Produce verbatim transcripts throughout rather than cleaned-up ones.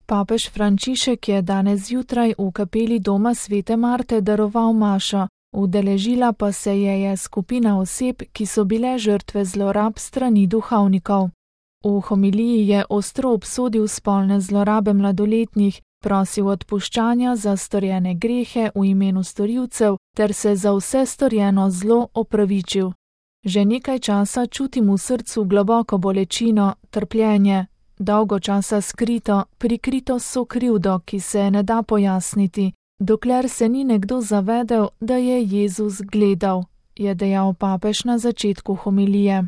Papež Frančišek je danes zjutraj v kapeli doma svete Marte daroval mašo, udeležila pa se je je skupina oseb, ki so bile žrtve zlorab strani duhovnikov. V homiliji je ostro obsodil spolne zlorabe mladoletnih, prosil odpuščanja za storjene grehe v imenu storilcev ter se za vse storjeno zlo opravičil. Že nekaj časa čutim v srcu globoko bolečino, trpljenje, dolgo časa skrito, prikrito sokrivdo, ki se ne da pojasniti, dokler se ni nekdo zavedel, da je Jezus gledal, je dejal papež na začetku homilije.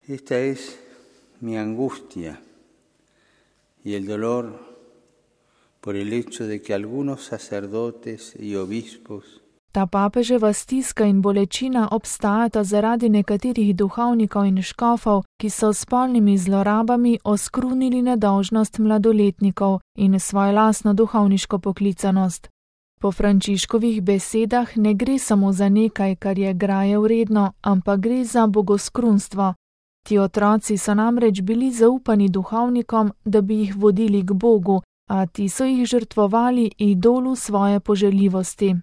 Esta es mi angustia y el dolor por el hecho de que algunos sacerdotes y obispos. Ta papeževa stiska in bolečina obstajata zaradi nekaterih duhovnikov in škofov, ki so s spolnimi zlorabami oskrunili nedolžnost mladoletnikov in svojo lastno duhovniško poklicanost. Po Frančiškovih besedah ne gre samo za nekaj, kar je graje vredno, ampak gre za bogoskrunstvo. Ti otroci so namreč bili zaupani duhovnikom, da bi jih vodili k Bogu, a ti so jih žrtvovali idolu svoje poželjivosti.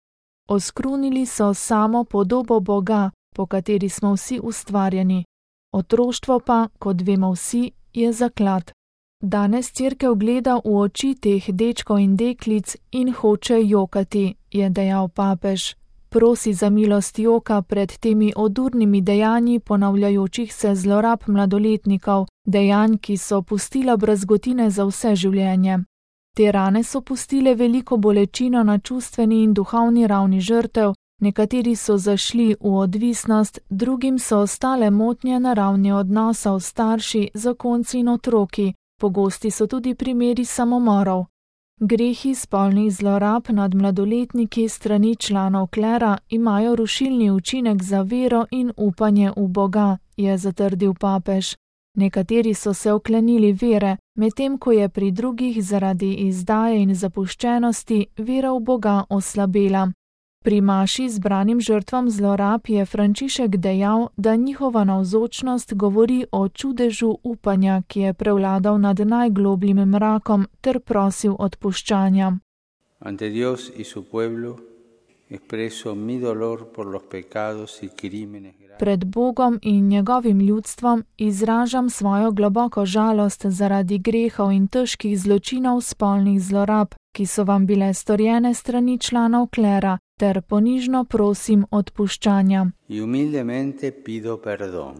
Oskrunili so samo podobo Boga, po kateri smo vsi ustvarjeni. Otroštvo pa, kot vemo vsi, je zaklad. Danes cerkev gleda v oči teh dečkov in deklic in hoče jokati, je dejal papež. Prosi za milost joka pred temi odurnimi dejanji ponavljajočih se zlorab mladoletnikov, dejanj, ki so pustila brazgotine za vse življenje. Te rane so pustile veliko bolečino na čustveni in duhovni ravni žrtev, nekateri so zašli v odvisnost, drugim so ostale motnje na ravni odnosov starši, zakonci in otroki, pogosti so tudi primeri samomorov. Grehi spolnih zlorab nad mladoletniki strani članov klera imajo rušilni učinek za vero in upanje v Boga, je zatrdil papež. Nekateri so se oklenili vere, medtem ko je pri drugih zaradi izdaje in zapuščenosti vera v Boga oslabela. Pri maši zbranim žrtvam zlorab je Frančišek dejal, da njihova navzočnost govori o čudežu upanja, ki je prevladal nad najglobljim mrakom ter prosil odpuščanja. Ante Dios y su pueblo expreso mi dolor por los pecados y crímenes. Pred Bogom in njegovim ljudstvom izražam svojo globoko žalost zaradi grehov in težkih zločinov spolnih zlorab, ki so vam bile storjene strani članov klera, ter ponižno prosim odpuščanja. Y humildemente pido perdón.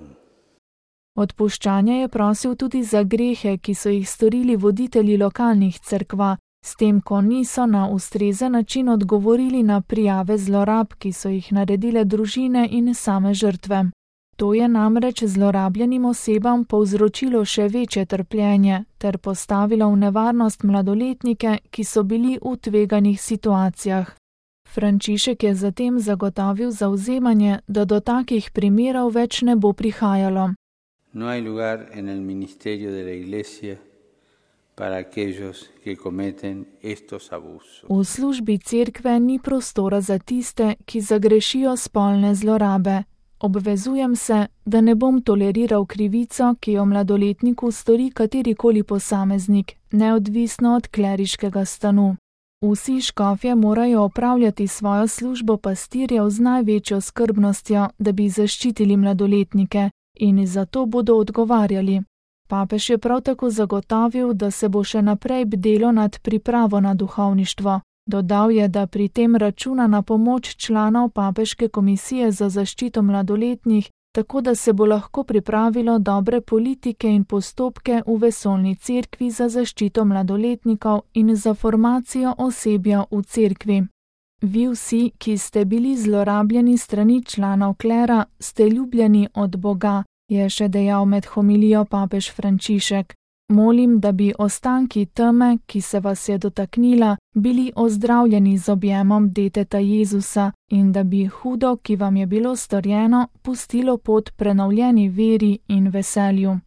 Odpuščanja je prosil tudi za grehe, ki so jih storili voditelji lokalnih cerkva, s tem, ko niso na ustrezen način odgovorili na prijave zlorab, ki so jih naredile družine in same žrtve. To je namreč zlorabljenim osebam povzročilo še večje trpljenje ter postavilo v nevarnost mladoletnike, ki so bili v tveganih situacijah. Frančišek je zatem zagotovil zavzemanje, da do takih primerov več ne bo prihajalo. No hay lugar en el ministerio de la Iglesia para aquellos que cometen estos abusos. V službi cerkve ni prostora za tiste, ki zagrešijo spolne zlorabe. Obvezujem se, da ne bom toleriral krivico, ki jo mladoletniku stori katerikoli posameznik, neodvisno od kleriškega stanu. Vsi škofje morajo opravljati svojo službo pastirjev z največjo skrbnostjo, da bi zaščitili mladoletnike, in zato bodo odgovarjali. Papež je prav tako zagotovil, da se bo še naprej bdelo nad pripravo na duhovništvo. Dodal je, da pri tem računa na pomoč članov Papeške komisije za zaščito mladoletnih, tako da se bo lahko pripravilo dobre politike in postopke v vesoljni cerkvi za zaščito mladoletnikov in za formacijo osebja v cerkvi. Vi vsi, ki ste bili zlorabljeni strani članov klera, ste ljubljeni od Boga, je še dejal med homilijo papež Frančišek. Molim, da bi ostanki teme, ki se vas je dotaknila, bili ozdravljeni z objemom deteta Jezusa in da bi hudo, ki vam je bilo storjeno, pustilo pot prenovljeni veri in veselju.